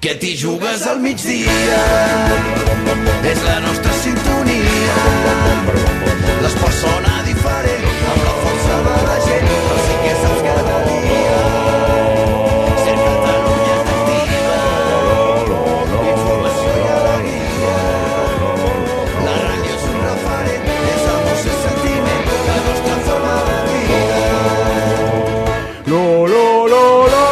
que t'hi jugues al migdia. És la nostra sintonia. L'esport sona diferent, amb la força de la gent, però sí que saps cada dia. Ser Catalunya t'activa, informació i alegria. La ràdio és un referent, és emoció i sentiment, la nostra forma de vida. Lo, lo, lo, lo.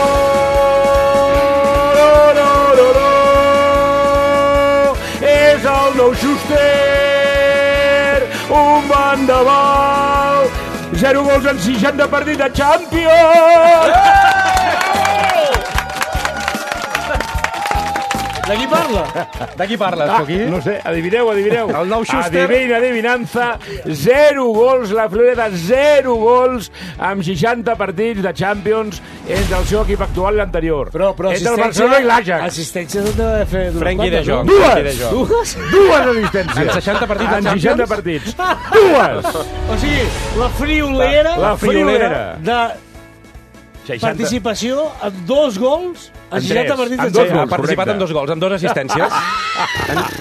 El nou Schuster, un vendaval, 0 gols en 60 partits de Champions! De qui parla? De qui parles, Coqui? No sé, adivineu. El nou Schuster. Adivinança, 0 gols, la Florida, 0 gols amb 60 partits de Champions entre el seu equip actual i l'anterior. Però entre el Barcelona i l'Ajax. Assistències han de fer... Frenkie de Jong. Dues assistències. En 60 partits de En Champions? 60 partits. Dues! O sigui, la friolera... La friolera. De 60. participació amb 2 gols en 60 partits de En dos Champions. gols. Ha participat en 2 gols, amb 2 assistències,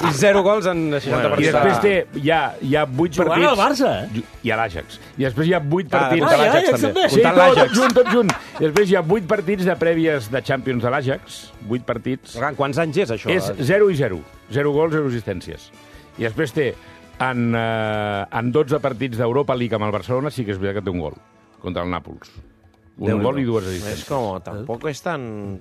i 0 gols en 60 I partits. després hi ha 8 Jugant partits... al Barça, eh? I a l'Ajax. I després hi ha 8 partits... comptant l'Ajax Ajax també. també. Sí, Comptant tot l'Ajax. junt. I després hi ha 8 partits de prèvies de Champions de l'Ajax. 8 partits. Quants anys és, això? És 0 i 0. 0 gols, 0 assistències. I després té, en 12 partits d'Europa League amb el Barcelona, sí que és veritat que té un gol. Contra el Nàpols. Un gol y 2 asistencias. Es como, tampoco es tan...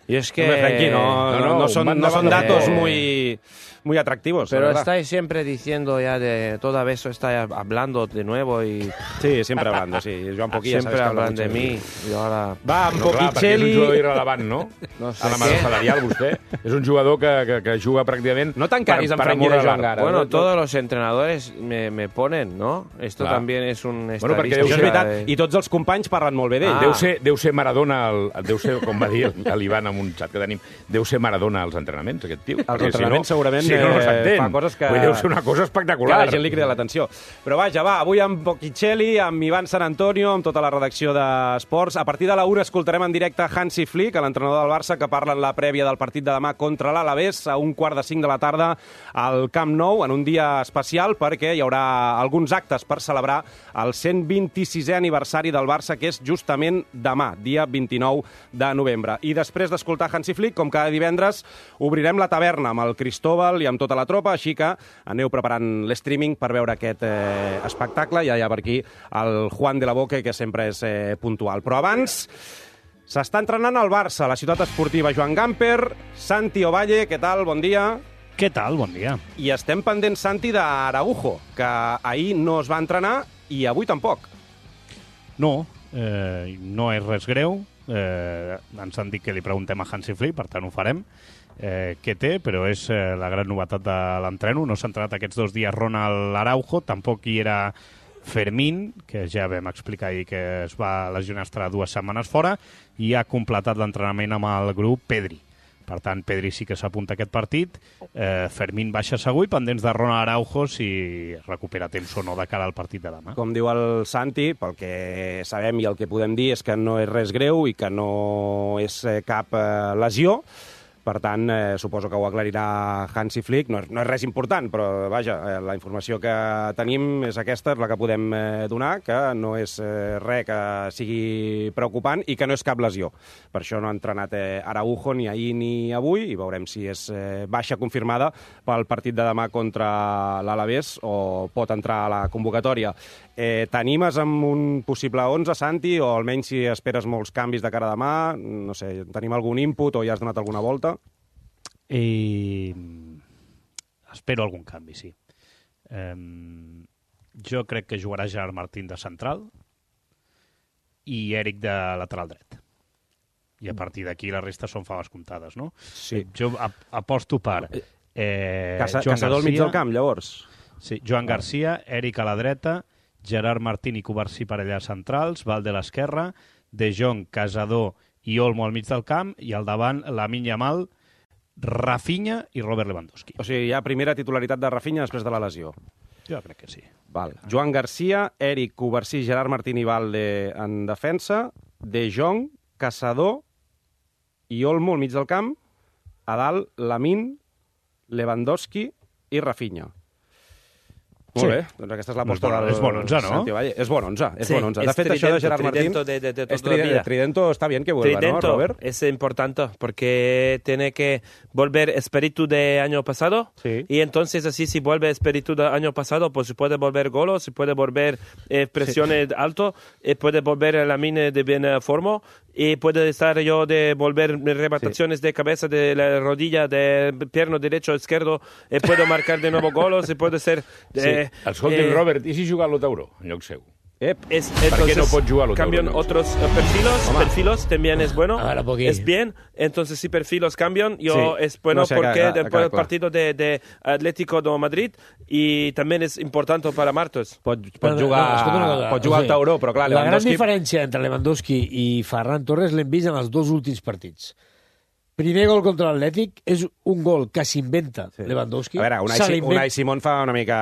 Y es que... Hombre, Frenkie, no son datos muy atractivos. Pero la verdad. estáis siempre diciendo ya de todo eso, estáis hablando de nuevo y... Sí, siempre hablando, sí. Joan Poquilla, siempre hablan de mí y ahora... Va, amb No, clar, perquè és un Poquicelli... jugador irrelevant, no? No sé A la mare qué. salarial, vostè. És un jugador que juga pràcticament... No t'encaris amb per Frenkie amor de a Jong l'art. ara. Bueno, todos los entrenadores me ponen, ¿no? Esto Clar. también es un Bueno, perquè estadística Això és veritat, de- i tots els companys parlen molt bé d'ell. Ah. Deu ser Maradona, deu ser, com va dir l'Ivan en un xat que tenim, deu ser Maradona als entrenaments, aquest tio. Els Perquè entrenaments segurament si no s'entén. fa coses que... Vull dir, deu ser una cosa Que espectacular. a la gent li crida l'atenció. Però vaja, va, avui amb Poquicelli, amb Ivan San Antonio, amb tota la redacció d'Esports. A partir de la 1 escoltarem en directe Hansi Flick, l'entrenador del Barça, que parla en la prèvia del partit de demà contra l'Alavés a 4:45 de la tarda al Camp Nou, en un dia especial perquè hi haurà alguns actes per celebrar el 126è aniversari del Barça, que és justament demà, dia 29 de novembre. I després d'escoltar Hansi Flick, com cada divendres, obrirem la taverna amb el Cristóbal i amb tota la tropa, així que aneu preparant l'streaming per veure aquest espectacle. Ja hi ha per aquí el Juan de la Boque, que sempre és puntual. Però abans s'està entrenant al Barça, a la ciutat esportiva Joan Gamper. Santi Ovalle, què tal? Bon dia. Què tal? Bon dia. I estem pendents, Santi, d'Araujo, que ahir no es va entrenar i avui tampoc. No, no és res greu. Ens han dit que li preguntem a Hansi Flick, per tant ho farem. Què té, però és la gran novetat de l'entreno. No s'ha entrenat aquests 2 dies Ronald Araujo, tampoc hi era Fermín, que ja vam explicar ahir que es va lesionar, estarà 2 setmanes fora, i ha completat l'entrenament amb el grup Pedri. Per tant, Pedri sí que s'apunta a aquest partit. Fermín baixa segur i pendents de Ronald Araujo si recupera temps o no de cara al partit de demà. Com diu el Santi, pel que sabem i el que podem dir és que no és res greu i que no és cap lesió. Per tant, suposo que ho aclarirà Hansi Flick. No és res important, però vaja, la informació que tenim és aquesta, és la que podem donar, que no és res que sigui preocupant i que no és cap lesió. Per això no ha entrenat Araujo ni ahir ni avui i veurem si és baixa confirmada pel partit de demà contra l'Alavés o pot entrar a la convocatòria. T'animes amb un possible 11, Santi, o almenys si esperes molts canvis de cara a demà? No sé, tenim algun input o ja has donat alguna volta? Espero algun canvi, sí. Jo crec que jugarà Gerard Martín de central i Eric de lateral dret. I a partir d'aquí la resta són faves comptades, no? Sí. Jo aposto per Joan Caçador al mig Garcia, del camp, llavors? sí, Joan Garcia, Eric a la dreta, Gerard Martín i Covarsí per allà centrals, Valde a l'esquerra, De Jong, Casador i Olmo al mig del camp, i al davant Lamine Yamal, Rafinha i Robert Lewandowski. O sigui, hi ha primera titularitat de Rafinha després de la lesió. Jo crec que sí. Val. Joan Garcia, Eric, Covarsí, Gerard Martín i Valde en defensa, De Jong, Caçador i Olmo al mig del camp, a dalt Lamine, Lewandowski i Rafinha. Molt bé, doncs aquesta és l'aposta del... És bon 11, no? Santi Valle. És bon 11, és Sí, bon 11. es De fet, això de Tridento, Gerard Martín... Tridento de es toda la vida. Tridento está bien que vuelva, Tridento ¿no, Robert? es importante porque tiene que volver espíritu de año pasado Sí. y entonces así si vuelve espíritu del año pasado pues se puede volver golos, se puede volver presiones alto, puede volver la mina de buena forma y puede estar yo de volver rebataciones de cabeza de la rodilla de pierno derecho izquierdo puedo marcar de nuevo golos y puede ser Escolti'm, Robert, i si juga a l'Otauro en lloc seu? ¿Por qué no puedes jugar a los cambian euros? otros perfilos también es bueno, A ver, Pogui. es bien, entonces si perfilos cambian, es bueno No sé, porque acá, después del clar. partido de Atlético de Madrid y también es importante para Martos. Pot jugar al Tauró, però clar, la gran Lewandowski... diferència entre Lewandowski i Ferran Torres l'hem vist en els dos últims partits. Primer gol contra l'Atlètic és un gol que s'inventa Lewandowski. A veure, se l'inventa. Unai Simón fa una mica...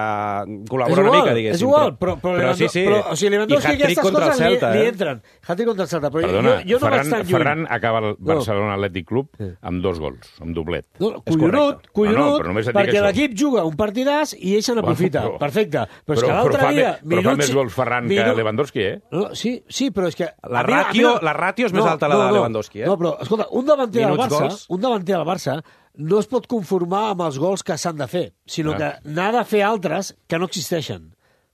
col·labora És igual, una mica, diguéssim. és igual, però o sigui, Lewandowski aquestes coses li entren. Hat-trick contra el Celta, però Perdona, jo no vaig tan lluny. Ferran acaba el Barcelona Atlètic Club amb 2 gols, amb doblet. No, collonut, però només et dic perquè això. l'equip juga un partidàs i ell se n'aprofita. Bueno, Perfecte. Però és que l'altre dia... Però fa més gols Ferran que Lewandowski, eh? No, sí, però és que... La ràtio és més alta la de Lewandowski, eh? No, però, escolta, un davanter del Minuts, Barça, gols. un davanter del Barça no es pot conformar amb els gols que s'han de fer, sinó que n'ha de fer altres que no existeixen.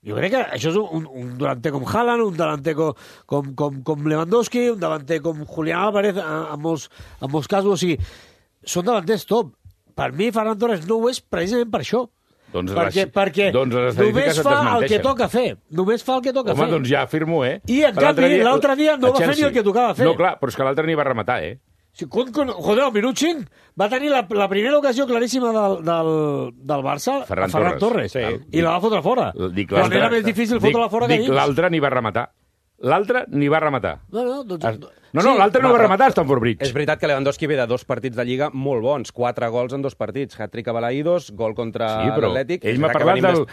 Jo crec que això és un davanter com Haaland, un davanter com Lewandowski, un davanter com Julián Álvarez, en molts casos. O sigui, són davanters top. Per mi, Ferran Torres no ho és precisament per això. Doncs perquè les només estadístiques fa et el que desmenteixen. toca fer. Només fa el que toca fer. Home, doncs ja afirmo, eh? I, en canvi, l'altre dia no va fer ni el que tocava fer. No, clar, però és que l'altre ni va rematar, eh? Sí, joder, al minut 5 va tenir la primera ocasió claríssima del Barça, Ferran Torres. Sí. I la va fotre fora. Quan era més difícil fotre-la fora que dins. L'altre ni va rematar. L'altre ni va rematar. Doncs... No, l'altre no va rematar, Stamford Bridge. És veritat que Lewandowski ve de 2 partits de Lliga molt bons, 4 gols en 2 partits, hat-trick a Balaïdos, gol contra l'Atlètic. Ell m'ha parlat del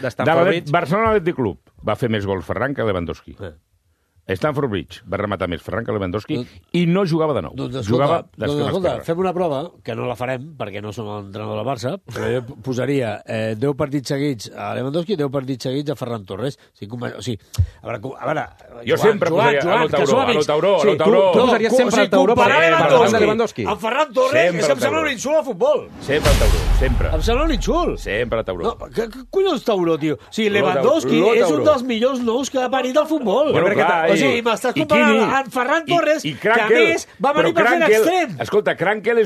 Barcelona Atlètic Club. Va fer més gols Ferran que Lewandowski. Stamford Bridge va rematar més Ferran que Lewandowski i no jugava de nou. Jugava d'esquerra. Escolta, fem una prova, que no la farem, perquè no som l'entrenador del Barça, però jo posaria 10 partits seguits a Lewandowski i 10 partits seguits a Ferran Torres. O sigui, a veure... Jo sempre posaria a l'Otauró. Tu posaries sempre al Tauró per davant de Lewandowski. Amb Ferran Torres és que em sembla un insult al futbol. Sempre al Tauró, sempre. Em sembla un insult. Sempre al Tauró. No, què collons Tauró, tio? O sigui, Lewandowski és un dels millors nous que ha parit al futbol. Bueno, clar, o sigui, m'estàs comparant amb Ferran Torres, que a més va venir per fer l'extrem. Escolta, Krankel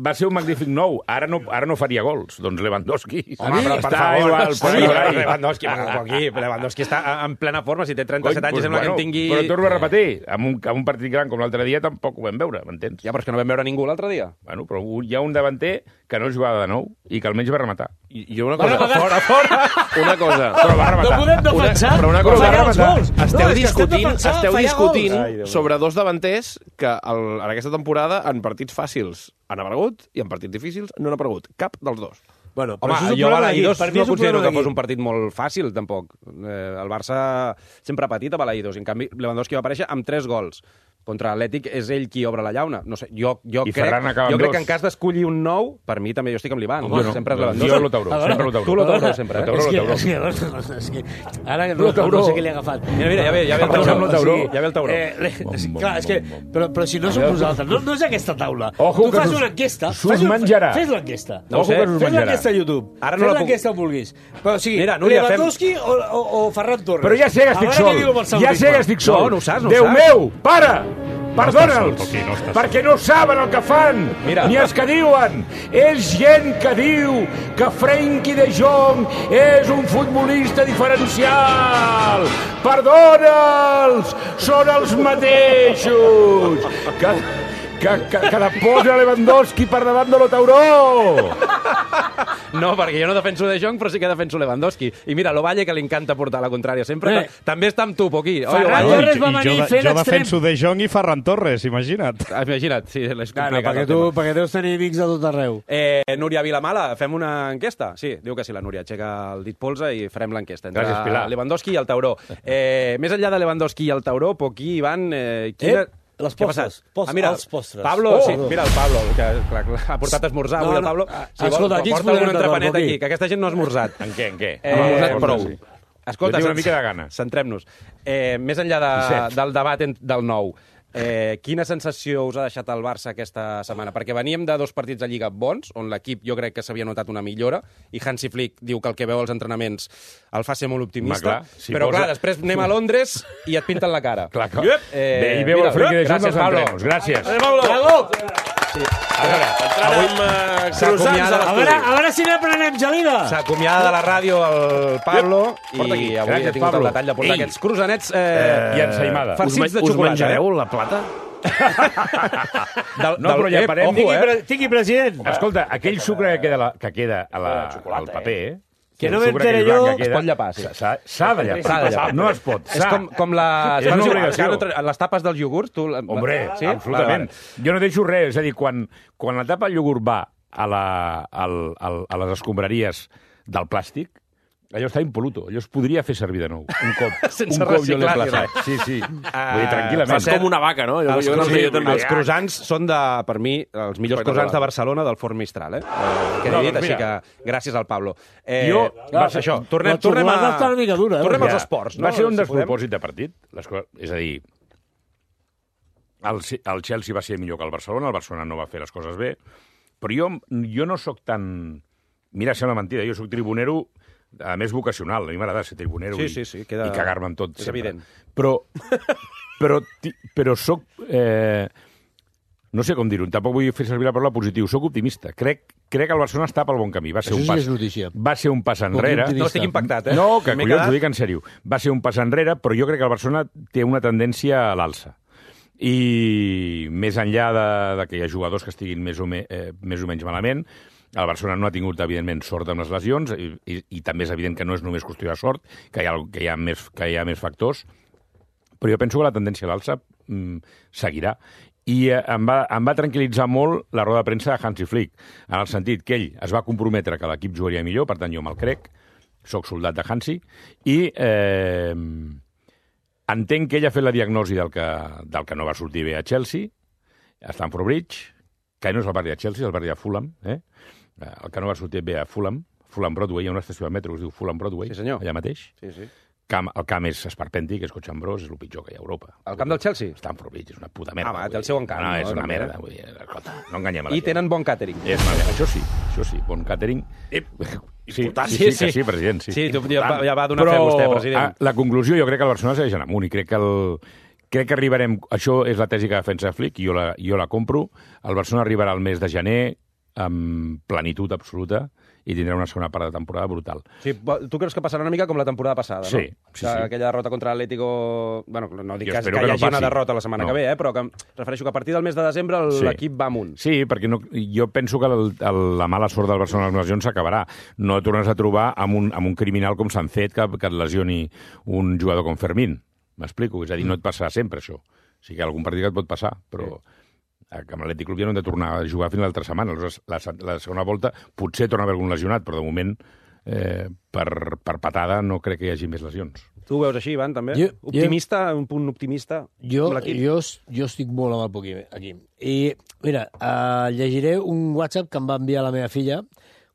va ser un magnífic nou. Ara no faria gols. Doncs Lewandowski. Home, però per favor, Lewandowski està en plena forma. Si té 37 anys, sembla que en tingui... Però torno a repetir, amb un partit gran com l'altre dia tampoc ho vam veure, m'entens? Ja, però és que no vam veure ningú l'altre dia. Bueno, però hi ha un davanter que no jugava de nou i que almenys va rematar. I una cosa... Fora! Una cosa... Però va rematar. No podem defensar. Però una cosa... Esteu discutint sobre 2 davanters que en aquesta temporada en partits fàcils han aparegut i en partits difícils no han aparegut. Cap dels 2. Bueno, home, jo a Balaïdos no considero que fos un partit molt fàcil, tampoc. El Barça sempre ha patit a Balaïdos. En canvi, Lewandowski va aparèixer amb 3 gols. Contra l'Atlètic és ell qui obre la llauna. No sé, jo crec que en cas d'escollir un nou, per mi també jo estic amb l'Ivan. Sempre és Lewandowski. Jo l'Otauró, sempre l'Otauró. Tu l'Otauró, sempre. És que ara no sé què li ha agafat. Mira, ja ve el Tauró. Ja ve el Tauró. Clar, és que... Però si no som nosaltres, no és aquesta taula. Tu fas una enquesta. S'us menjarà. Fes l'enquesta. Fes l'enquesta a YouTube. Fes l'enquesta on vulguis. Però o sigui, Lewandowski o Ferran Torres. Però ja sé que estic sol. Ja sé que estic sol. No ho saps. Déu meu, para! Perdona'ls, perquè no saben el que fan, ni els que diuen. És gent que diu que Frenkie de Jong és un futbolista diferencial. Perdona'ls, són els mateixos. Que la posa Lewandowski per davant de l'Otauró. No, perquè jo no defenso De Jong, però sí que defenso Lewandowski. I mira, l'Ovalle, que li encanta portar la contrària sempre, també està amb tu, Poquí. Ferran Torres va venir fent jo l'extrem. defenso De Jong i Ferran Torres, imagina't. Imagina't, sí, és Claro, complicat. perquè deus tenir amics de tot arreu. Núria Vilamala, fem una enquesta? Sí, diu que sí, la Núria. Aixeca el dit polze i farem l'enquesta. Gràcies, Pilar. Lewandowski i el Tauró. Més enllà de Lewandowski i el Tauró, Poquí, Ivan, Les Què ha postres. passat? Mira, Els postres. Pablo, sí, mira el Pablo, que clar, ha portat a esmorzar avui el Pablo. Escolta, aquí ens porta podem un entrepanet d'acord, aquí, aquí. que aquesta gent no ha esmorzat. En què? No ha esmorzat prou. Sí. Escolta, Jo tinc una mica de gana. Centrem-nos. Més enllà del debat del nou, quina sensació us ha deixat el Barça aquesta setmana? Perquè veníem de 2 partits de Lliga bons, on l'equip jo crec que s'havia notat una millora, i Hansi Flick diu que el que veu als entrenaments el fa ser molt optimista, però clar, després anem a Londres i et pinten la cara. Clar, clar. Bé, i veu el Flick de Jong als entrenos. Gràcies. Bravo! Avui A veure si n'aprenem, Gelida. s'acomiada de la ràdio el Pablo i avui Gràcies, ha tingut Pablo. el detall de portar aquests croissants I ensaïmada. farcits de Us xocolata. menjareu la plata? No, però ja parem. Tingui president. Escolta, aquell sucre que queda al paper, Que no el sucre m'entere aquell blanc jo. que Es queda, pot llepar, sí. S'ha de llapar. No es pot. És com les... És una obligació. Les tapes del iogurt, tu... Hombre, sí? absolutament. Jo no deixo res. És a dir, quan la tapa del iogurt va a les escombraries del plàstic, allò està impoluto. Allò es podria fer servir de nou. Un cop. Sense un cop jo l'he reciclar ni plaçat. Sí, sí. Vull dir, tranquil·lament. Fas com una vaca, no? Els croissants són, per mi, els millors croissants de Barcelona del Forn Mistral, que he dit, així que gràcies al Pablo. Va ser això. Tornem Està una mica dura, Tornem als esports, no? Va ser un Si despropòsit de partit. És a dir, el Chelsea va ser millor que el Barcelona no va fer les coses bé, però jo no sóc tan... Mira, sembla mentida, jo sóc tribunero, a més vocacional. A mi m'agrada ser tribunero i cagar-me en tot. És evident. Però sóc... no sé com dir-ho, tampoc vull fer servir la paraula positiu. Sóc optimista. Crec que el Barcelona està pel bon camí. Això sí és notícia. Va ser un pas enrere. No estic impactat, No, que collons, ho dic en sèrio. Va ser un pas enrere, però jo crec que el Barcelona té una tendència a l'alça. I més enllà de que hi ha jugadors que estiguin més o menys malament, el Barcelona no ha tingut, evidentment, sort amb les lesions i també és evident que no és només qüestió de sort, que hi ha més factors, però jo penso que la tendència a l'alça seguirà. I em va tranquil·litzar molt la roda de premsa de Hansi Flick, en el sentit que ell es va comprometre que l'equip jugaria millor, per tant jo me'l crec, soc soldat de Hansi, i entenc que ell ha fet la diagnosi del que no va sortir bé a Chelsea, a Stamford Bridge, que no és el barri de Chelsea, és el barri de Fulham, el que no va sortir bé a Fulham Broadway, hi ha una estació de metro que es diu Fulham Broadway, Sí, senyor. allà mateix. Sí, sí. El camp és esperpèntic, és cotxambrós, és el pitjor que hi ha a Europa. El camp del Chelsea? Stamford Bridge és una puta merda. Va, té el seu encant. No, és no? una merda. Vull dir, escolta, no enganyem a la I gent. tenen bon càtering. Això sí, bon càtering. Sí, president, sí. Sí, ja va donar fe vostè, president. La conclusió, jo crec que el Barcelona segueix en amunt i crec que arribarem... Això és la tesi que defensa Flick, i jo la compro. El Barcelona arribarà al mes de gener amb plenitud absoluta i tindrà una segona part de temporada brutal. Sí, tu creus que passarà una mica com la temporada passada, no? Sí. Aquella derrota contra l'Atlético... Bueno, no dic que hi no hagi una passi. derrota la setmana que ve, però que refereixo que a partir del mes de desembre l'equip va amunt. Sí, perquè jo penso que la mala sort del Barcelona a les lesions s'acabarà. No et tornes a trobar amb un criminal com Sancet que et lesioni un jugador com Fermín. M'explico? És a dir, no et passarà sempre, això. O sigui que algun partit et pot passar, però... amb l'Atlètic Club ja no hem de tornar a jugar fins a l'altra setmana. La segona volta potser torna a haver algun lesionat, però de moment per patada no crec que hi hagi més lesions. Tu ho veus així, Ivan, també? Optimista, un punt optimista amb l'equip? Jo estic molt amb el Poquí aquí. I, mira, llegiré un WhatsApp que em va enviar la meva filla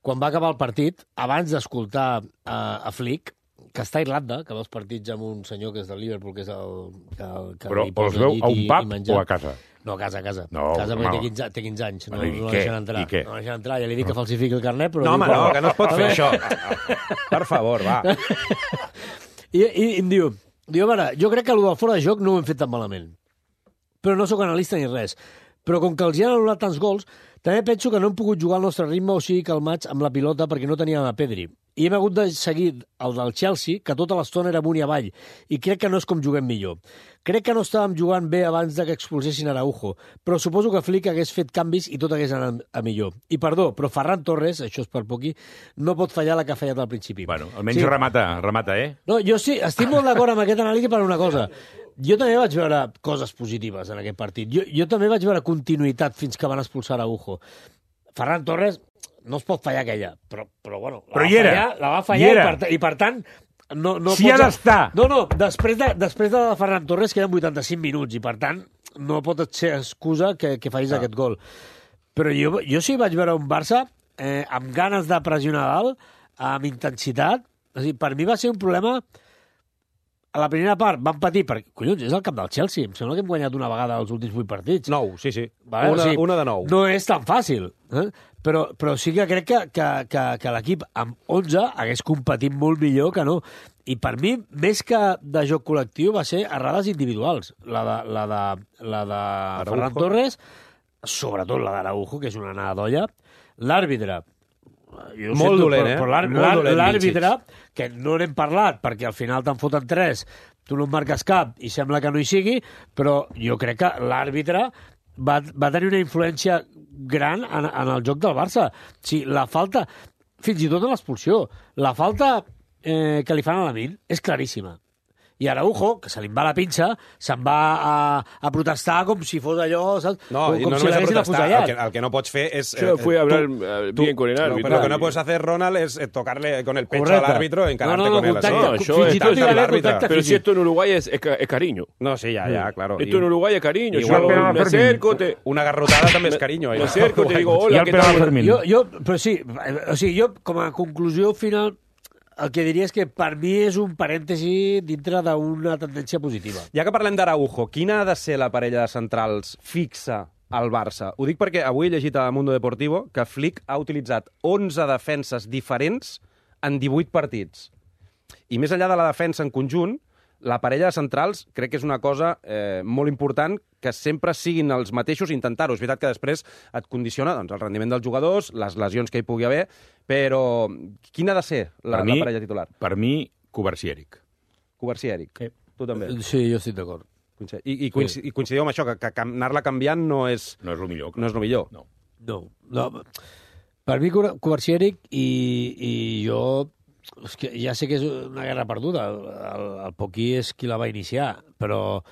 quan va acabar el partit, abans d'escoltar a Flick, que està a Irlanda, que va als partits amb un senyor que és del Liverpool, que és el que però li posa els veu llit a un pub menjar. o a casa? No, a casa. No, casa home. perquè té 15 anys. No deixen entrar. I què? No deixen entrar. Ja li dic que falsifiqui el carnet, però... No, home, no, que no es pot fer això. Per favor, va. I em diu, a veure, jo crec que el del fora de joc no ho hem fet tan malament. Però no sóc analista ni res. Però com que els hi han anul·lat tants gols, també penso que no hem pogut jugar al nostre ritme o sigui calmats amb la pilota perquè no teníem a Pedri. I hem hagut de seguir el del Chelsea, que tota l'estona era amunt i avall, i crec que no és com juguem millor. Crec que no estàvem jugant bé abans de que expulsessin Araujo, però suposo que Flick hagués fet canvis i tot hagués anat a millor. I perdó, però Ferran Torres, això és per poqui, no pot fallar la que ha fallat al principi. Bueno, almenys remata, eh? No, jo sí, estic molt d'acord amb aquest anàlisi per una cosa. Jo també vaig veure coses positives en aquest partit. Jo també vaig veure continuïtat fins que van expulsar Araujo. Ferran Torres no es pot fallar aquella, però bueno, la va fallar i per tant no si ha d'estar. No, després de Ferran Torres queden 85 minuts i per tant no pot ser excusa que facis aquest gol. Però jo sí vaig veure un Barça amb ganes de pressionar dalt, amb intensitat. O sigui, per mi va ser un problema... A la primera part van patir, perquè, collons, és el camp del Chelsea. Em sembla que hem guanyat una vegada els últims 8 partits. 9, sí. Vale? Una de 9. No és tan fàcil. Però sí que crec que l'equip amb 11 hagués competit molt millor que no. I per mi, més que de joc col·lectiu, va ser errades individuals. La de Ferran Torres, sobretot la d'Araujo, que és una anada d'olla. L'àrbitre, molt dolent, però l'àrbitre, que no n'hem parlat, perquè al final te'n foten 3, tu no en marques cap i sembla que no hi sigui, però jo crec que l'àrbitre va tenir una influència gran en el joc del Barça. Sí, la falta, fins i tot en l'expulsió, la falta que li fan a Lamine és claríssima. I Araujo, que se li va la pinça, se'n va a protestar com si fos allò, saps? No, com no si només a l'haguessin protestar, afusellat. el que no pots fer es... Yo fui a hablar bien con el árbitro. Pero lo que no puedes hacer, Ronald, es tocarle con el pecho Correcte. al árbitro y encararte No, con él. contacte, No, así. yo fins i tot hi va haver l'àrbitre. contacte Pero si físic. esto en Uruguay es cariño. No, sí, ya, claro. Esto en Uruguay es cariño. Igual Yo que me acerco, Una garrotada també és carinyo. me acerco, te digo, I hola, el ¿qué penal tal? Fermín. Però sí, o sigui, jo, com a conclusió final, el que diria és que per mi és un parèntesi dintre d'una tendència positiva. Ja que parlem d'Araujo, quina ha de ser la parella de centrals fixa al Barça? Ho dic perquè avui he llegit a Mundo Deportivo que Flick ha utilitzat 11 defenses diferents en 18 partits. I més enllà de la defensa en conjunt, la parella de centrals crec que és una cosa molt important que sempre siguin els mateixos i intentar-ho. És veritat que després et condiciona doncs, el rendiment dels jugadors, les lesions que hi pugui haver, però quina ha de ser la parella titular? Per mi, Covarsí i Eric. Covarsí i Eric. Tu també. Sí, jo estic d'acord. I coincidiu amb això, que anar-la canviant no és... No és el millor. No és el millor. No. Per mi, Covarsí i Eric, i jo... És que ja sé que és una guerra perduda. El Poquí és qui la va iniciar, però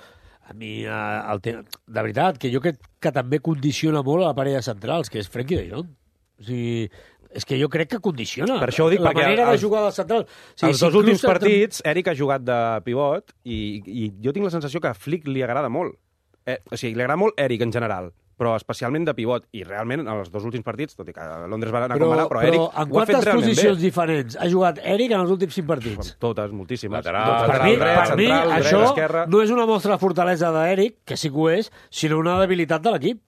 a mi, de veritat, que jo crec que també condiciona molt a la parella centrals, que és Frenkie de Jong. O sigui, és que jo crec que condiciona. Per això ho dic, la perquè manera de jugar del central. O sigui, els dos últims partits, Eric ha jugat de pivot i jo tinc la sensació que a Flick li agrada molt. O sigui, li agrada molt Eric en general, però especialment de pivot. I realment, en els dos últims partits, tot i que Londres va anar com va anar, però Eric en ho ha fet quantes realment posicions bé. diferents ha jugat Eric en els últims 5 partits? Totes, moltíssimes. Lateral, Per mi, dret, central, dret, això esquerra. no és una mostra de fortalesa d'Eric, que sí que ho és, sinó una debilitat de l'equip.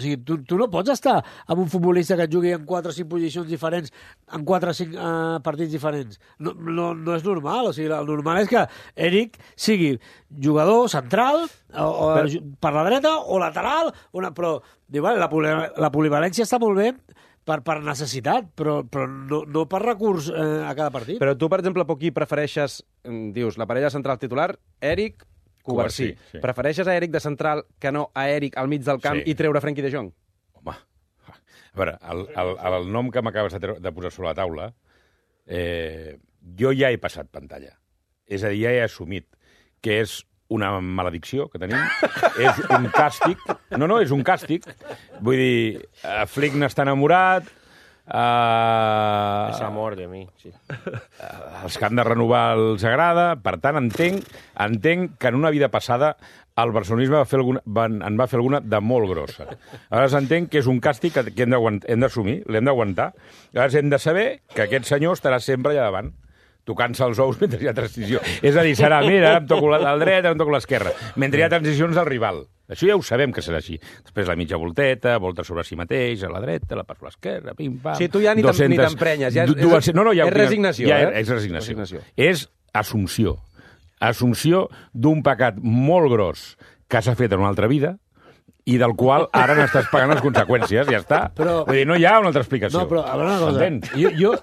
O sigui, tu no pots estar amb un futbolista que et jugui en 4 o 5 posicions diferents, en 4 o 5 partits diferents. No és normal. O sigui, el normal és que Eric sigui jugador central, o per la dreta, o lateral, però diu, vale, la polivalència està molt bé per necessitat, però no per recurs a cada partit. Però tu, per exemple, Poquí, prefereixes, dius, la parella central titular, Eric, Covarsí. Sí. Prefereixes a Eric de central que no a Eric al mig del camp Sí. i treure Frenkie de Jong? Home, a veure, el nom que m'acabes de posar sobre la taula, jo ja he passat pantalla. És a dir, ja he assumit que és una maledicció que tenim, és un càstig. No, és un càstig. Vull dir, Flick n'està enamorat, Es amor de mí, sí. els que han de renovar els agrada, per tant, entenc que en una vida passada el barcelonisme en va fer alguna de molt grossa. Aleshores entenc que és un càstig que hem d'assumir, l'hem d'aguantar. Aleshores hem de saber que aquest senyor estarà sempre allà davant, tocant-se els ous mentre hi ha transició. És a dir, serà, mira, em toco el dret, em toco l'esquerra, mentre hi ha transicions al rival. Això ja ho sabem que serà així. Després la mitja volteta, volta sobre si mateix, a la dreta, la passo a l'esquerra, pim-pam... Sí, tu ja ni t'emprenyes, ja és resignació. És resignació. És assumpció. Assumpció d'un pecat molt gros que s'ha fet en una altra vida i del qual ara n'estàs pagant les conseqüències, ja està. Vull dir, no hi ha una altra explicació. No, però a veure una cosa. Jo,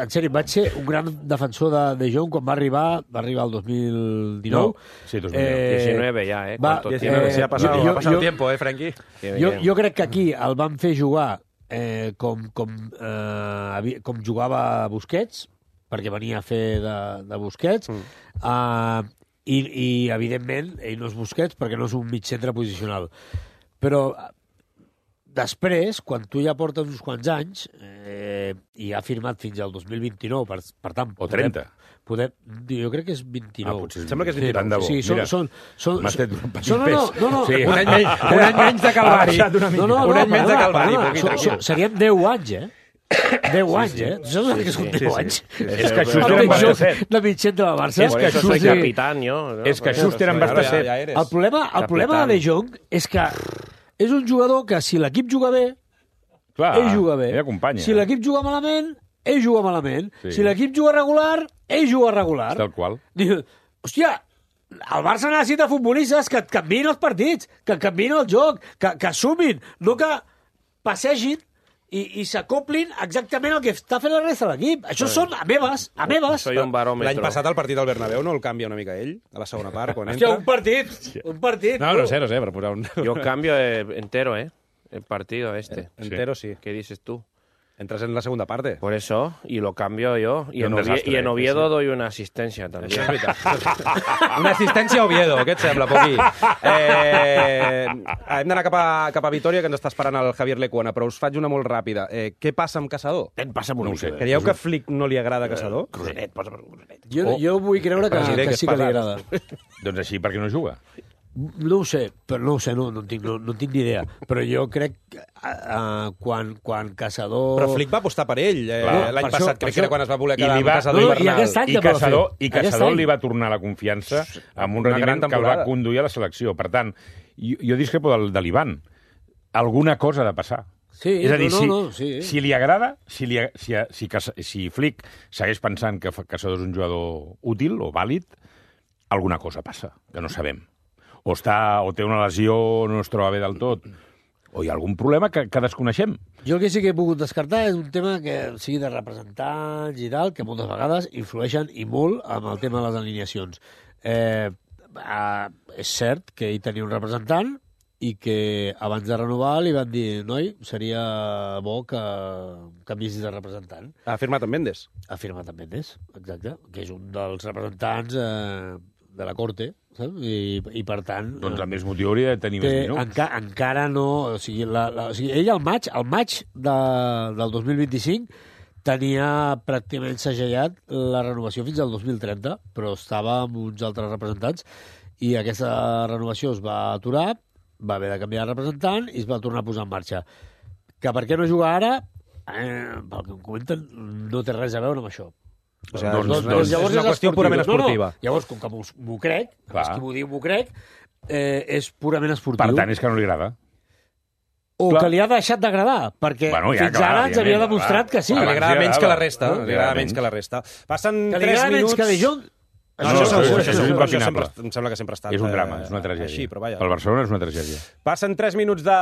en sèrio, vaig ser un gran defensor de Jong quan va arribar el 2019. No, sí, 19 ja, ha passat tiempo, Frenkie? Jo crec que aquí el van fer jugar com jugava Busquets, perquè venia a fer de Busquets, i evidentment, ell no és Busquets perquè no és un mig centre posicional. Però després, quan tu ja portes uns quants anys, i ha firmat fins al 2029, per tant... O 30. Jo crec que és 29. Potser Sembla que és 29. Tant de bo. Sí, M'has fet un petit no. Sí. Un any menys de Calvari. Un any menys de Calvari. Serien 10 anys, 10 anys, Saps que són 10 anys? És que Schuster en Barça 7. De mitjent de la Barça. Por eso soy capitán, yo. És que Schuster en Barça 7. El problema de De Jong és que és un jugador que si l'equip juga bé, ell juga bé. Ell acompanya. Si l'equip juga malament, ell juga malament. Sí. Si l'equip juga regular, ell juga regular. Tal qual. Diu, hòstia, el Barça necessita futbolistes que et canviïn els partits, que canviïn el joc, que sumin, no que passegin i s'acoplin exactament el que està fent la resta de l'equip. Això són amebes. Soy un barómetro. L'any passat el partit del Bernabéu no el canvia una mica ell, a la segona part, quan Hòstia, entra. un partit. No sé, per posar un... Yo cambio entero, el partido este. Entero sí. ¿Qué dices tú? Entras en la segunda parte. Por eso, y lo cambio yo. Y en Oviedo doy una asistencia también. Això és veritat. Una assistència a Oviedo, què et sembla, Poqui? Hem d'anar cap a Vitoria, que ens està esperant el Javier Lecuona, però us faig una molt ràpida. Què passa amb Caçador? No ho sé. Creieu que a Flick no li agrada Caçador? Rosenet, posa'm un rosenet. Jo vull creure que sí que li agrada. Doncs així, per què no juga? No ho sé, no tinc ni idea. Però jo crec que quan Caçador... Però Flick va apostar per ell l'any passat, crec que era quan es va voler quedar amb No, Caçador i Bernal. aquest any I Caçador li va tornar la confiança amb un Una rendiment gran que el va temporada. conduir a la selecció. Per tant, jo discrepo de l'Ivan. Alguna cosa ha de passar. Sí, És a dir, sí. si li agrada, si Flick segueix pensant que Caçador és un jugador útil o vàlid, alguna cosa passa, que no sabem. O té una lesió, no es troba bé del tot, o hi ha algun problema que desconeixem. Jo el que sí que he pogut descartar és un tema que sigui de representants i tal, que moltes vegades influeixen i molt amb el tema de les alineacions. És cert que ell tenia un representant i que abans de renovar li van dir noi, seria bo que canviessis de representant. Ha firmat amb Mendes. Ha firmat amb Mendes, exacte, que és un dels representants de la Corte, saps? I per tant... Doncs amb més motiu hauria de tenir més minuts. Encara no... O sigui, ell al maig del 2025 tenia pràcticament segellat la renovació fins al 2030, però estava amb uns altres representants i aquesta renovació es va aturar, va haver de canviar de representant i es va tornar a posar en marxa. Que per què no juga ara? Pel que em comenten, no té res a veure amb això. O sigui, doncs és una qüestió purament esportiva. No. Llavors, com que m'ho crec, és qui m'ho diu, m'ho crec, és purament esportiu. Per tant, és que no li agrada. O que li ha deixat d'agradar, perquè fins ara ens havia demostrat que sí. Li agrada menys que la resta. Li agrada menys que la resta. Passen 3 minuts... Que De Jong... Això em sembla que sempre ha estat és un drama, és una tragèdia. Així, però vaja. Pel Barcelona és una tragèdia. Passen 3 minuts de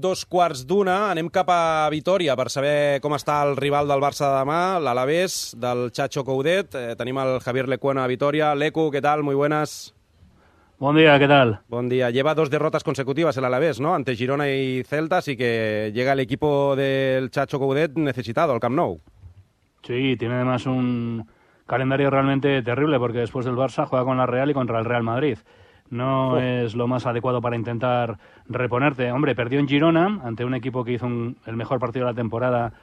2:15. Anem cap a Vitoria per saber com està el rival del Barça de demà, l'Alavés, del Chacho Coudet. Tenim el Javier Lecuona a Vitoria. Lecu, ¿qué tal? Muy buenas. Buen día, ¿qué tal? Buen día. Lleva 2 derrotas consecutivas el Alavés, ¿no? Ante Girona y Celta, así que llega el equipo del Chacho Coudet necesitado al Camp Nou. Sí, tiene además un calendario realmente terrible porque después del Barça juega con la Real y contra el Real Madrid. No es lo más adecuado para intentar reponerte. Hombre, perdió en Girona ante un equipo que hizo el mejor partido de la temporada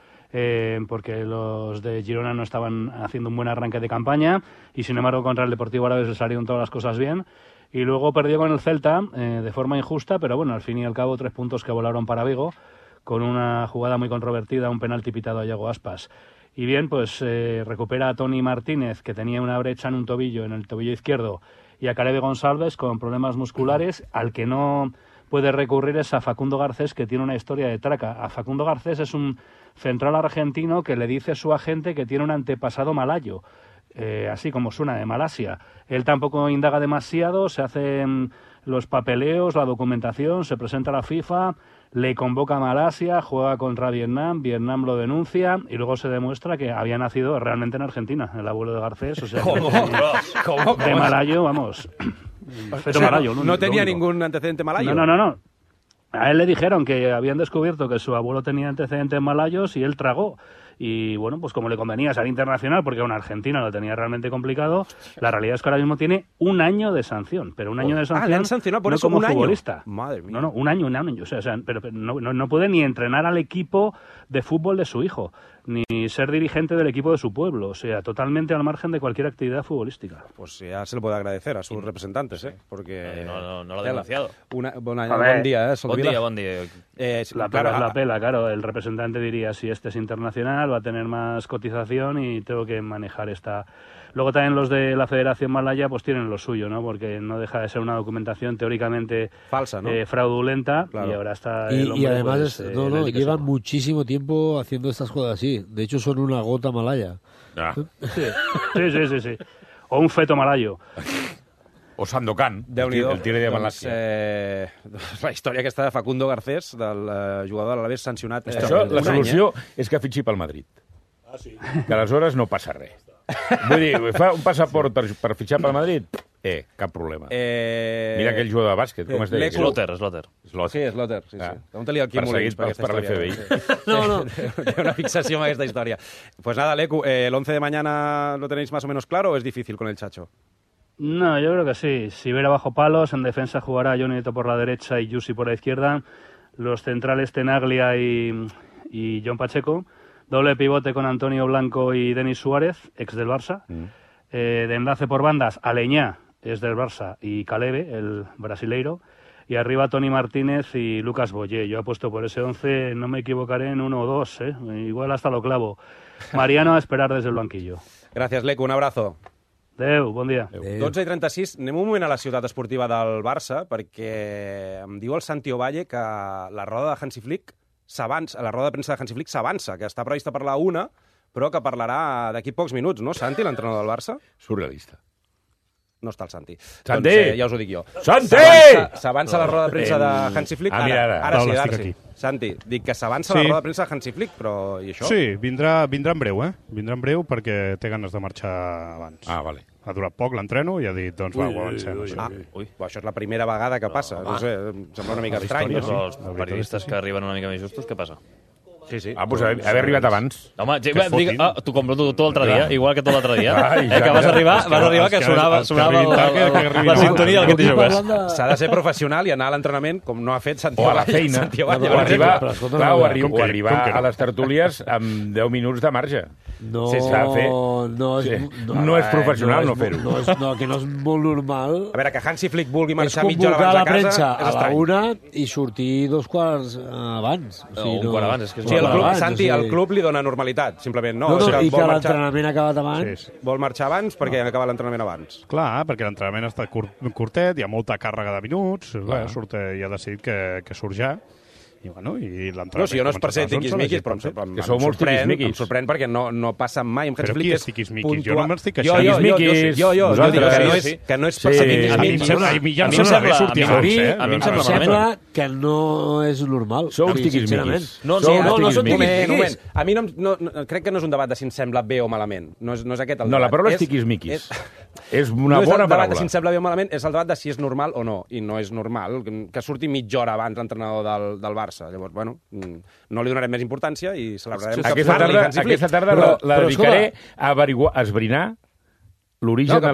porque los de Girona no estaban haciendo un buen arranque de campaña y sin embargo contra el Deportivo Alavés le salieron todas las cosas bien. Y luego perdió con el Celta de forma injusta, pero bueno, al fin y al cabo 3 puntos que volaron para Vigo con una jugada muy controvertida, un penalti pitado a Iago Aspas. Y bien, pues recupera a Toni Martínez, que tenía una brecha en un tobillo, en el tobillo izquierdo, y a Calebe González con problemas musculares. Al que no puede recurrir es a Facundo Garcés, que tiene una historia de traca. A Facundo Garcés es un central argentino que le dice a su agente que tiene un antepasado malayo, así como suena, de Malasia. Él tampoco indaga demasiado, se hacen los papeleos, la documentación, se presenta a la FIFA, le convoca a Malasia, juega contra Vietnam, Vietnam lo denuncia y luego se demuestra que había nacido realmente en Argentina, el abuelo de Garcés, o sea, ¿Cómo? de malayo, vamos. Pero malayo, no tenía ningún antecedente malayo. No. A él le dijeron que habían descubierto que su abuelo tenía antecedentes malayos y él tragó. y bueno, pues como le convenía ser internacional, porque a un argentino lo tenía realmente complicado, la realidad es que ahora mismo tiene 1 año de sanción, pero 1 año de sanción le han sancionado por no eso como 1 año. futbolista. Madre mía. No, un año, o sea, pero no puede ni entrenar al equipo de fútbol de su hijo, ni ser dirigente del equipo de su pueblo, o sea, totalmente al margen de cualquier actividad futbolística. Pues ya se lo puede agradecer a sus representantes, porque... No lo ha denunciado. Buen día, Solvila. Buen día. La pela, claro. El representante diría, si este es internacional, va a tener más cotización y tengo que manejar esta... Luego también los de la Federación Malaya pues tienen lo suyo, ¿no? Porque no deja de ser una documentación teóricamente falsa, ¿no? Fraudulenta, claro. Y ahora está el hombre, y además pues, llevan muchísimo tiempo haciendo estas cosas así. De hecho son una gota malaya. Sí. O un feto malayo. O Sandokan, el tire de Malàcia. La història aquesta de Facundo Garcés, del jugador de l'Alavés sancionat. Això, la solució és que fitxi pel Madrid. Sí. Que aleshores no passa res. Vull dir, fa un passaport per fitxar pel Madrid? Cap problema. Mira aquell jugador de bàsquet, com es deia? Slotter. Sí, Slotter. Sí. Pregunta-li al Quim Molins per aquesta història. No. Té una fixació amb aquesta història. Pues nada, Lecu, el 11 de mañana lo tenéis más o menos claro o es difícil con el Chacho? No, yo creo que sí. Si Vera bajo palos, en defensa jugará Johnny Neto por la derecha y Yusi por la izquierda. Los centrales Tenaglia y John Pacheco. Doble pivote con Antonio Blanco y Denis Suárez, ex del Barça. De enlace por bandas, Aleñá, es del Barça, y Calebe, el brasileiro. Y arriba Toni Martínez y Lucas Boyé. Yo apuesto por ese 11, no me equivocaré en 1 o 2, igual hasta lo clavo. Mariano a esperar desde el banquillo. Gracias, Lecu, un abrazo. Adéu, bon dia. 12:36, anem un moment a la ciutat esportiva del Barça, perquè em diu el Santi Ovalle que la roda de Hansi Flick la roda de premsa de Hansi Flick s'avança, que està prevista per la 1, però que parlarà d'aquí pocs minuts, no, Santi, l'entrenador del Barça? Surrealista. No està el Santi. Santi! Doncs, ja us ho dic jo. Santi! S'avança la roda de premsa de Hansi Flick. Ara sí. Santi, dic que s'avança la roda de premsa de Hansi Flick, però i això? Sí, vindrà en breu, Vindrà en breu perquè té ganes de marxar abans. Vale. Ha durat poc l'entreno i ha dit, doncs ho avancem. Això és la primera vegada que passa. No sé, em sembla una mica estrany. Però els periodistes que arriben una mica més justos, què passa? Sí. Pues haver arribat abans. Home, tu com tu l'altre dia, igual que tu l'altre dia, que vas arribar que sonava la sintonia del Quinti Joves. S'ha de ser professional i anar a l'entrenament com no ha fet Santi Ovalle. O a la feina. O arribar a les tertúlies amb 10 minuts de marge. No és professional no fer-ho. No, que no és molt normal. A veure, que Hansi Flick vulgui marxar mitja hora abans a casa és estrany. A la 1 i sortir 2 quarts abans. Un quart abans, és que sí, Santi, el club li dona normalitat, simplement. No, i que l'entrenament ha acabat abans. Vol marxar abans perquè acaba l'entrenament abans. Clar, perquè l'entrenament està curtet, hi ha molta càrrega de minuts, i ha decidit que surt ja. I l'entrenament... No, si jo no és per ser tiquismiquis, però em sorprèn perquè no passa mai amb Hansi Flick. Qui és tiquismiquis? Jo no me'ls dic això. Jo dic que no és per ser tiquismiquis. A mi em sembla que no és normal. Sou tiquismiquis. No són tiquismiquis. A mi crec que no és un debat de si em sembla bé o malament. No és aquest el debat. No, la paraula és tiquismiquis. És una bona paraula. No és el debat de si em sembla bé o malament, és el debat de si és normal o no. I no és normal que surti mitja hora abans l'entrenador del Barça. Llavors, no li donarem més importància i celebrarem que parli Hansi Flick. Aquesta tarda la dedicaré a esbrinar l'origen de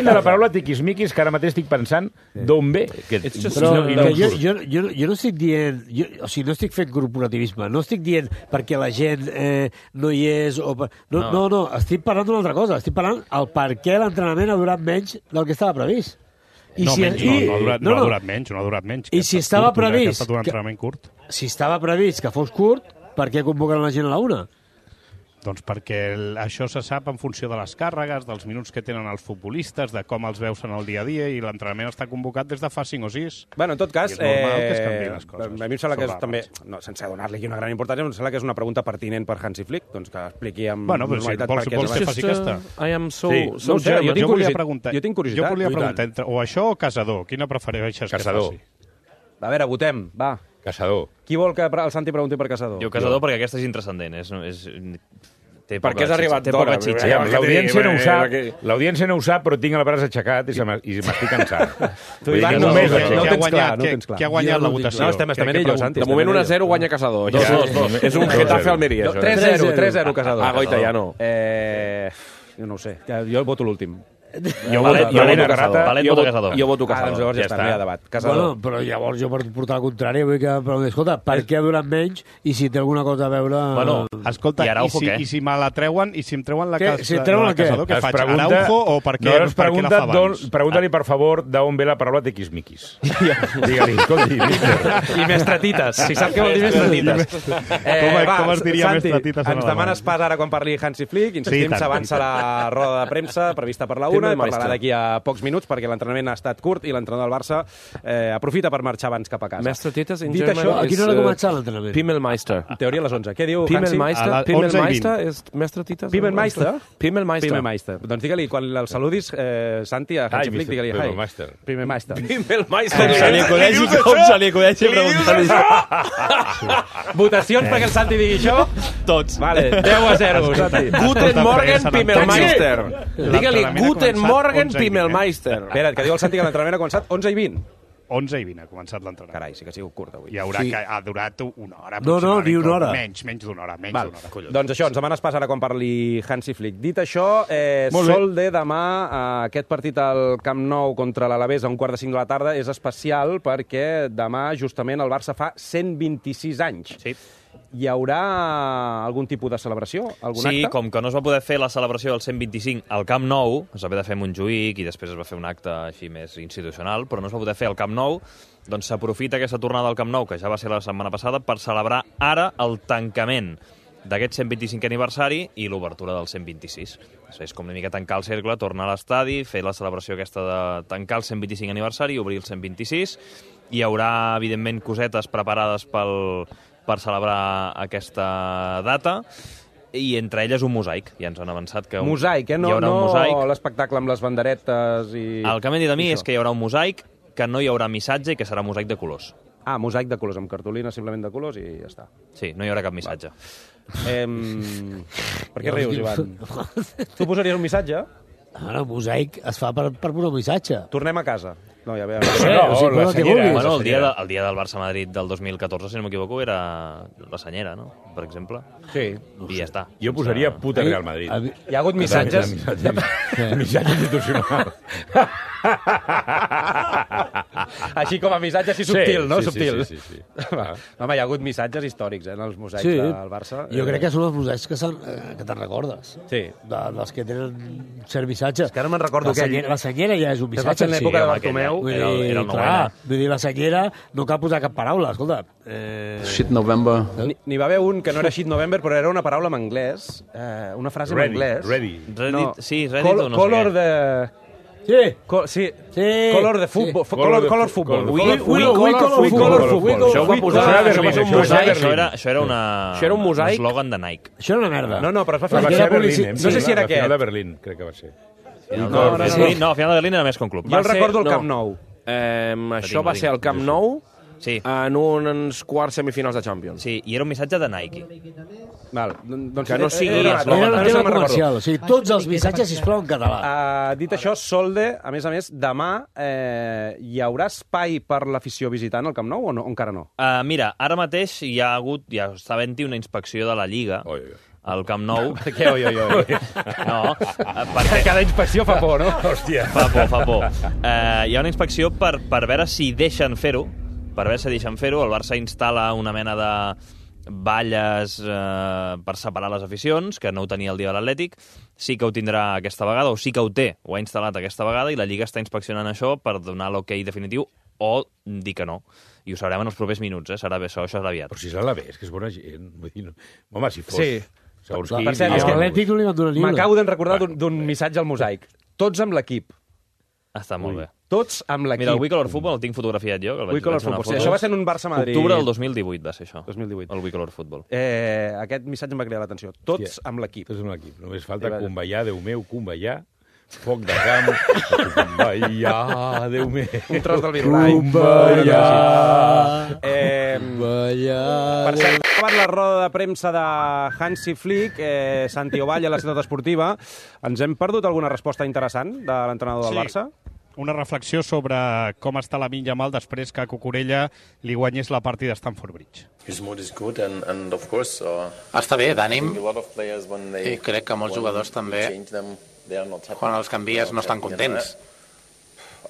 la paraula tiquismiquis, que ara mateix estic pensant d'on ve. Però jo no estic dient... O sigui, no estic fent corporativisme. No estic dient perquè la gent no hi és... No, estic parlant d'una altra cosa. Estic parlant el per què l'entrenament ha durat menys del que estava previst. No ha durat menys. I si estava previst... Si estava previst que fos curt, per què convoquen la gent a la 1? Doncs perquè això se sap en funció de les càrregues, dels minuts que tenen els futbolistes, de com els veus en el dia a dia, i l'entrenament està convocat des de fa 5 o 6. Bueno, en tot cas, és normal que es canviïn les coses. A mi em sembla que és també, sense donar-li una gran importància, em sembla que és una pregunta pertinent per Hansi Flick, doncs que expliqui amb normalitat per què vols que faci aquesta. Jo volia preguntar, o això o Casador, quina prefereixes que faci? A veure, votem, va. Casador. Qui vol que el Santi pregunti per Casador? Jo Casador perquè aquesta és intranscendent. Per què has arribat té poca d'hora? xitxa. L'audiència no ho sap, però tinc el braç aixecat i m'estic cansant. Tu, Ivan, no tens clar. Qui ha guanyat la votació? No, estem ell, Santi. De moment 1-0 guanya Casador. És un Getafe Almeria, això. 3-0 Casador. Ah, Goita ja no. Jo no ho sé, jo voto l'últim. Jo voto Casador. Jo voto Doncs Casador. llavors ja està, no hi ha debat. Bueno, però llavors jo per portar el contrari vull que... Però, escolta, per què ha durat menys i si té alguna cosa a veure... Bueno, escolta, i si me la treuen i si em treuen la Casador, què faig? Araujo o per què la fa abans? Pregunta-li, per favor, d'on ve la paraula tiquismiquis. Digue-li, escolti, I mestratites, si sap què vol dir mestratites. Com es diria mestratites en ens demanes pas ara quan parli Hansi Flick, insistim, s'avança la roda de premsa prevista per la 1 i parlarà d'aquí a pocs minuts perquè l'entrenament ha estat curt i l'entrenador del Barça aprofita per marxar abans cap a casa. Mestratites in Dit German això, A quina hora començar l'entrenament? Pimmelmeister. En teoria a les 11. Què diu Hansi? Pimmelmeister és mestratites? Pimmelmeister? Pimmelmeister. Doncs digue-li, quan el saludis, Santi, a Hansi Flick, digue-li, hi. Pimmelmeister. Com se li acudeixi preguntar-li això? Votacions perquè el Santi digui això? Tots. Vale, 10-0, Santi. Guten Morgen, Pimmelmeister. Digue-li, Guten Morgen, Pimmelmeister. Espera't, que diu el Santi que l'entrenament ha començat 11:20. 11:20 ha començat l'entrenament. Carai, sí que ha sigut curt avui. Ha durat una hora. No, ni una hora. Menys d'una hora. Doncs això, ens demanes pas ara quan parli Hansi Flick. Dit això, sol de demà aquest partit al Camp Nou contra l'Alavés a 4:45 de la tarda és especial perquè demà justament el Barça fa 126 anys. Sí. Hi haurà algun tipus de celebració? Algun acte? Sí, com que no es va poder fer la celebració del 125 al Camp Nou, es va haver de fer a Montjuïc i després es va fer un acte així més institucional, però no es va poder fer al Camp Nou, doncs s'aprofita aquesta tornada al Camp Nou, que ja va ser la setmana passada, per celebrar ara el tancament d'aquest 125è aniversari i l'obertura del 126. És com una mica tancar el cercle, tornar a l'estadi, fer la celebració aquesta de tancar el 125 aniversari i obrir el 126. Hi haurà, evidentment, cosetes preparades per celebrar aquesta data i entre elles un mosaic. Ja ens han avançat que mosaic, hi haurà un mosaic. No l'espectacle amb les banderetes i... El que m'han dit a mi és que hi haurà un mosaic, que no hi haurà missatge i que serà mosaic de colors. Ah, mosaic de colors, amb cartolina simplement de colors i ja està. Sí, no hi haurà cap missatge. Per què rius, Ivan? Tu posaries un missatge? Ara, el mosaic es fa per posar un missatge. Tornem a casa. No, ja veiem. La senyera. Bueno, el dia del Barça-Madrid del 2014, si no m'equivoco, era la senyera, no? Per exemple. Sí. I ja està. Jo posaria puta Real Madrid. Hi ha hagut missatges. Missatge institucional. Així com a missatge així subtil, no? Subtil. Sí. Home, hi ha hagut missatges històrics, en els mosaics del Barça. Jo crec que són els mosaics que te'n recordes. Sí. Dels que tenen cert missatge. És que ara me'n recordo que... La senyera ja és un missatge. En l'època de Bartomeu. Era el clar, vull dir, la senyera no cal posar cap paraula, escolta. Shit November. N'hi va haver un que no era Shit November, però era una paraula en anglès, una frase en anglès. Ready. Sí, Ready o no sé Color de... Sí. Color de futbol. Color futbol. We color futbol. Això ho va posar... Això era un mosaic. eslògan de Nike. Això era una merda. No, però es va fer... Va ser a Berlín, No sé si era aquest. La final de Berlín, crec que va ser. No, a final de Berlín era més com club. Jo el recordo al Camp Nou. Això va ser al Camp Nou en uns quarts semifinals de Champions. Sí, i era un missatge de Nike. Val, doncs que no sigui era un tema comercial, o sigui, tots els missatges, sisplau, en català. Dit això, Solde, a més, demà hi haurà espai per l'afició visitant al Camp Nou o no? Encara no? Mira, ara mateix ja està havent-hi una inspecció de la Lliga al Camp Nou. Per què? No, perquè... Cada inspecció fa por, no? Hòstia. Fa por. Hi ha una inspecció per veure si deixen fer-ho. Per veure si deixen fer-ho. El Barça instal·la una mena de valles per separar les aficions, que no ho tenia el dia de l'Atlètic. Sí que ho tindrà aquesta vegada, o sí que ho té, ho ha instal·lat aquesta vegada, i la Lliga està inspeccionant això per donar l'ok definitiu o dir que no. I ho sabrem en els propers minuts, serà bé, això serà aviat. Però si és a l'Alavés, que és bona gent. Vull dir, home, si fos... Sí. Segons Per cert, és que l'Atlètic no li van donar ni una. m'acabo de recordar d'un missatge al mosaic. Tots amb l'equip. Està molt bé. Tots amb l'equip. Mira, el We Color Football el tinc fotografiat jo. We Color Football. Sí, això va ser en un Barça-Madrid. Octubre del 2018 va ser això. 2018. El We Color Football. Aquest missatge em va cridar l'atenció. Tots amb l'equip. Tots amb l'equip. Només falta convallar, Déu meu, convallar. foc de camp, Kumbaya, Déu meu. Un tros del Virulai. Kumbaya. Per cert, ha acabat la roda de premsa de Hansi Flick, Santi Ovalle, a la ciutat esportiva. Ens hem perdut alguna resposta interessant de l'entrenador del Barça? Una reflexió sobre com està Lamine Yamal després que Cucurella li guanyés la partida a Stamford Bridge. Està bé, d'ànim, i crec que molts jugadors també, quan els canvies, no estan contents.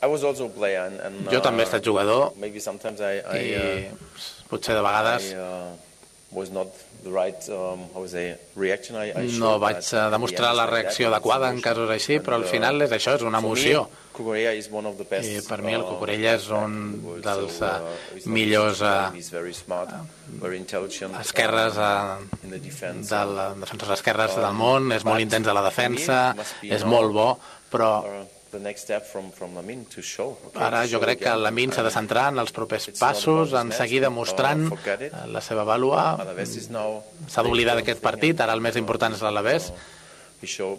Jo també he estat jugador i potser de vegades no vaig demostrar la reacció adequada en casos així, però al final és això, és una emoció. I per mi el Cucurella és un dels millors esquerres defensors esquerres del món, és molt intens a la defensa, és molt bo, però ara jo crec que Lamine s'ha de centrar en els propers passos, en seguir demostrant la seva vàlua. S'ha d'oblidar d'aquest partit, ara el més important és l'Alavés, i això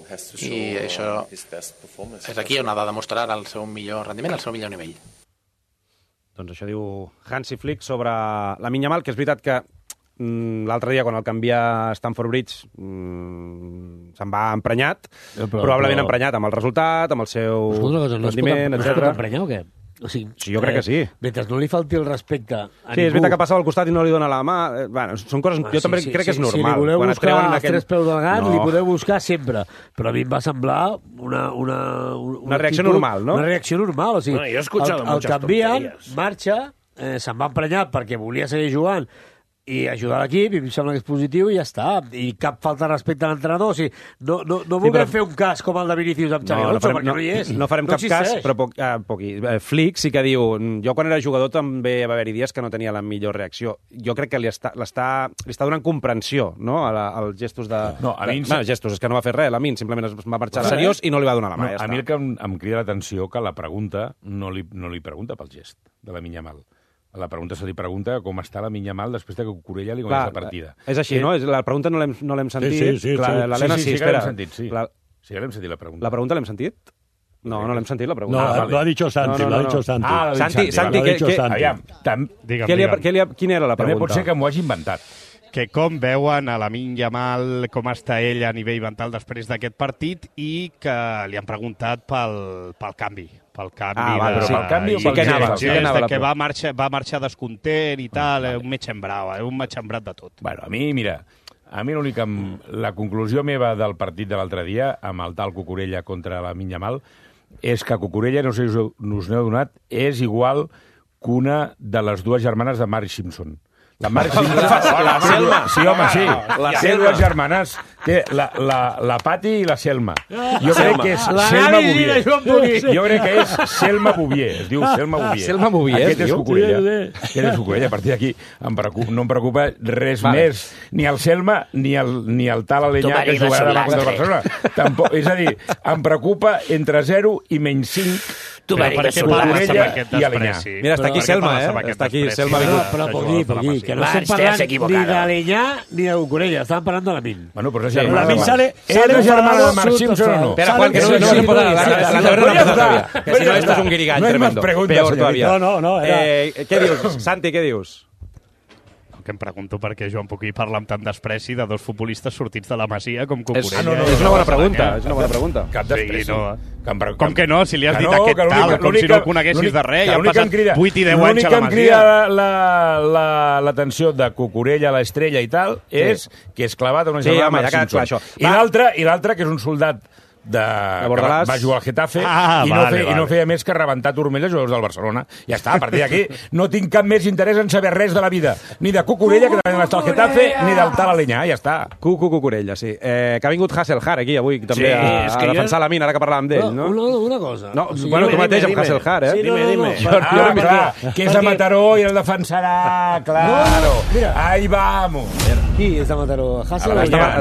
és aquí on ha de demostrar el seu millor rendiment, el seu millor nivell. Doncs això diu Hansi Flick sobre Lamine Yamal, que és veritat que l'altre dia, quan el canvia a Stamford Bridge, se'n va emprenyat, probablement emprenyat amb el resultat, amb el seu rendiment, etc. No es pot emprenyar o què? O sigui, sí, jo crec que sí. Mentre no li falti el respecte a ningú... Sí, és veritat que passava al costat i no li dona la mà. Bueno, són coses... Jo també crec que és normal. Si li voleu buscar els tres peus del gat, li podeu buscar sempre. Però a mi em va semblar una reacció normal, no? Una reacció normal. O sigui, jo he escuchado el canvien, marxa, se'n va emprenyar perquè volia seguir jugant i ajudar l'equip, i em sembla que és positiu, i ja està. I cap falta de respecte a l'entrenador. O sigui, no vulguem fer un cas com el de Vinícius amb Xavi Alonso, perquè no hi és. No farem cap cas, però Flick sí que diu... Jo, quan era jugador, també va haver-hi dies que no tenia la millor reacció. Jo crec que li està donant comprensió, no?, als gestos de... No, a mi... gestos, és que no va fer res, Lamine, simplement es va marxar seriós i no li va donar la mà. A mi el que em crida l'atenció que la pregunta no li pregunta pel gest de Lamine Yamal. La pregunta se li pregunta com està Lamine Yamal després que Cucurella li guanyés la partida. És així, no? La pregunta no l'hem sentit. Sí, l'Helena sí, espera. Sí que l'hem sentit, la pregunta. La pregunta l'hem sentit? No l'hem sentit, la pregunta. No, lo ha dicho Santi, lo ha dicho Santi. Ah, Santi, quina era la pregunta? També pot ser que m'ho hagi inventat. Que com veuen a Lamine Yamal, com està ell a nivell mental després d'aquest partit, i que li han preguntat pel canvi. Pel canvi que va marxar descontent i tal, un mig embrat de tot. Bueno, a mi l'única... La conclusió meva del partit de l'altre dia, amb el tal Cucurella contra Lamine Yamal, és que Cucurella, no sé si us n'heu donat, és igual que una de les dues germanes de Marge Simpson. La Selma. Sí, home, sí. Té dues germanes. Té la Pati i la Selma. Jo crec que és Selma Bouvier. Jo crec que és Selma Bouvier. Es diu Selma Bouvier. Selma Bouvier. Aquest és Cucurella. A partir d'aquí no em preocupa res més. Ni el Selma ni el tal Alenyà que jugarà demà contra el Barcelona. És a dir, em preocupa entre 0 i menys 5 Cucurella i Alenyà. Mira, està aquí Selma, Està aquí Selma. Però Pogui, que no estem parlant ni d'Alenyà ni de Cucurella, estàvem parlant de Lamine. Bueno, però és Lamine sale germana de Marc Simpson o no? Espera, Juan, que no se puede hablar. Que si no, esto es un guirigall tremendo. Peor todavía. No. Què dius, Santi, què dius? Que em pregunto per què Joan Puquí parla amb tant despreci de dos futbolistes sortits de la Masia com Cucurella. És una bona pregunta. Cap despreci. Com que no? Si li has dit aquest tal, com si no el coneguessis de res, ja han passat 8 i 10 anys a la Masia. L'únic que em crida l'atenció de Cucurella, l'Estrella i tal, és que és clavat a una germana de Marc Simpson. I l'altre, que és un soldat va jugar al Getafe i no feia més que rebentar turmelles jugadors del Barcelona. Ja està, a partir d'aquí no tinc cap més interès en saber res de la vida, ni de Cucurella, que també està al Getafe, ni del tal Alenyà, ja està. Cucurella, sí. Que ha vingut Hasselhar aquí avui també a defensar la mina, ara que parlàvem d'ell, no? Una cosa. Bueno, tu mateix amb Hasselhar, eh? Dime. Clar, que és de Mataró i el defensarà, claro. Ahí vamos. Qui és de Mataró? Hassel?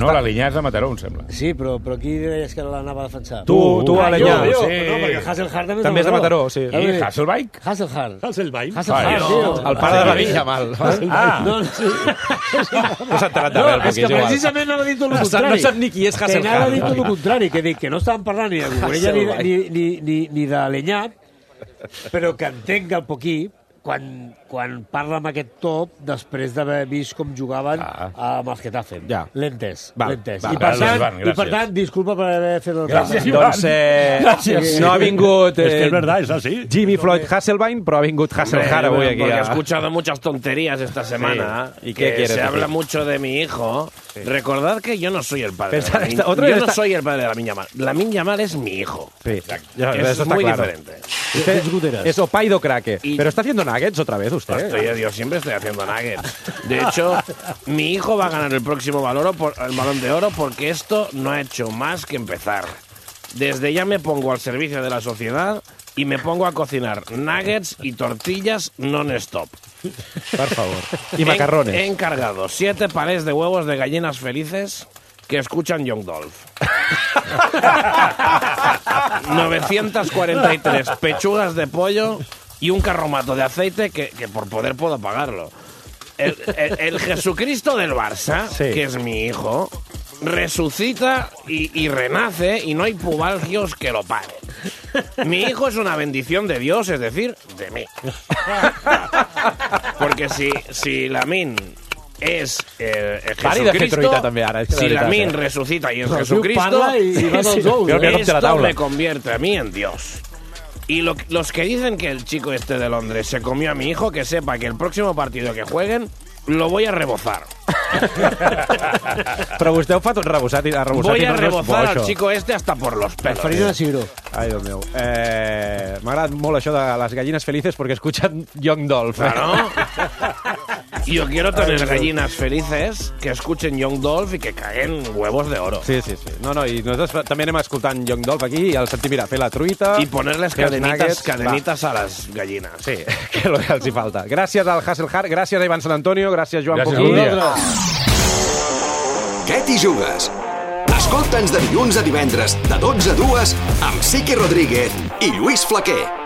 No, l'Alinyà és de Mataró, em sembla. Sí, però qui deies que l'anava a defensar? Tu, Alinyà. Jo, no, perquè Hasselhard també és de Mataró, sí. I Hasselbaink? Hasselbaink, tio. El pare de Lamine Yamal. No, sí. No s'ha enterat de res, és que precisament anava a dir tot el contrari. No sap ni qui és Hasselhard. Que anava a dir tot el contrari, que dic que no estàvem parlant ni de Cucurella ni de Lenyat, però que entenc el Poquí quan parla amb aquest top després d'haver vist com jugaven amb els Getafe. Lentes. I per tant, disculpa per haver fet el Gràcies, doncs no ha vingut es que es verdad, es así. Jimmy Floyd Hasselbaink, però ha vingut Hasselhard avui aquí. Porque he escuchado muchas tonterías esta semana. ¿Y qué quieres se habla decir? mucho de mi hijo. Sí. Recordad que yo no soy el padre de Lamine. Yo no soy el padre de Lamine Yamal. Lamine Yamal es mi hijo. Sí, es muy diferente. Es Opaido Craque. Pero está haciendo nuggets otra vez usted. Yo siempre estoy haciendo nuggets. De hecho, mi hijo va a ganar el próximo el Balón de Oro porque esto no ha hecho más que empezar. Desde ya me pongo al servicio de la sociedad y me pongo a cocinar nuggets y tortillas non-stop. Por favor. Y macarrones. He encargado 7 palés de huevos de gallinas felices que escuchan Young Dolph. 943 pechugas de pollo y un carromato de aceite que por poder puedo pagarlo. El Jesucristo del Barça, que es mi hijo, resucita y renace y no hay pubalgios que lo paren. Mi hijo es una bendición de Dios, es decir, de mí. Porque si Lamine es Jesucristo, si Lamine resucita y es Jesucristo, esto me convierte a mí en Dios. Y los que dicen que el chico este de Londres se comió a mi hijo, que sepa que el próximo partido que jueguen lo voy a rebozar. Però vostè ho fa tot rebosat i voy a rebozar al chico este hasta por los pelos. Farina de cigró. Ai, Déu meu. M'ha agradat molt això de les gallines felices porque escuchan Young Dolph. Claro. Yo quiero tener gallinas felices que escuchen Young Dolph y que caguen huevos de oro. Sí. No, i nosaltres també anem escoltant Young Dolph aquí i el sentim, mira, fer la truita... I ponerles cadenitas a les gallines. Sí, que és el que els hi falta. Gràcies al Hasselhard, gràcies a Ivan Sant Antonio, gràcies Joan Poquí. Què t'hi jugues? Escolta'ns de dilluns a divendres, de 12 a 2, amb Sique Rodríguez i Lluís Flaquer.